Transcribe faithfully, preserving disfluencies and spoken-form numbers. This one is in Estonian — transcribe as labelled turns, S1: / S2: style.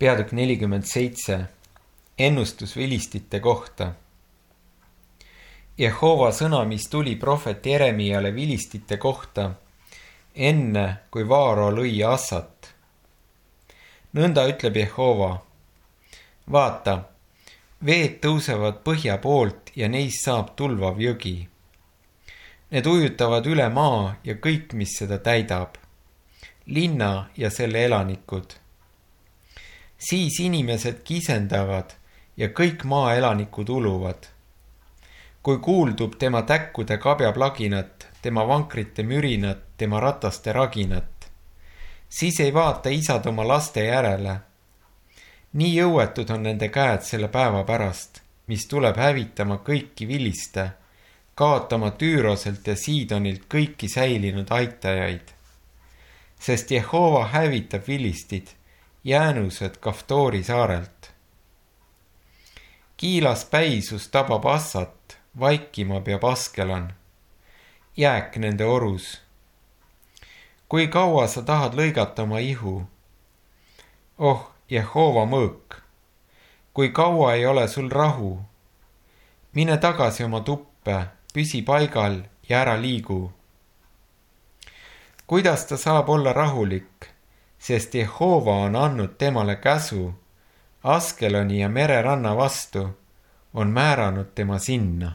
S1: peatükk nelikümmend seitse, ennustus vilistite kohta. Jehova sõna, mis tuli prohvet Jeremiale vilistite kohta, enne kui Vaaro lõi Assat. Nõnda ütleb Jehova: vaata, veed tõusevad põhja poolt ja neist saab tulvav jõgi. Need ujutavad üle maa ja kõik, mis seda täidab, linna ja selle elanikud. Siis inimesed kisendavad ja kõik maa elanikud uluvad. Kui kuuldub tema täkkude kabjaplaginat, tema vankrite mürinat, tema rataste raginat, siis ei vaata isad oma laste järele. Nii jõuetud on nende käed selle päeva pärast, mis tuleb hävitama kõiki viliste, kaotama Tüüroselt ja Siidonilt kõiki säilinud aitajaid. Sest Jehova hävitab vilistid, jäänused Kaftoori saarelt. Kiilas päisus tabab Assat, vaikima peab Askelan, jääk nende orus. Kui kaua sa tahad lõigata oma ihu? Oh, Jehova mõõk, kui kaua ei ole sul rahu? Mine tagasi oma tuppe, püsi paigal ja ära liigu. Kuidas ta saab olla rahulik, sest Jehova on andnud temale käsu, Askeloni ja mereranna vastu, on määranud tema sinna.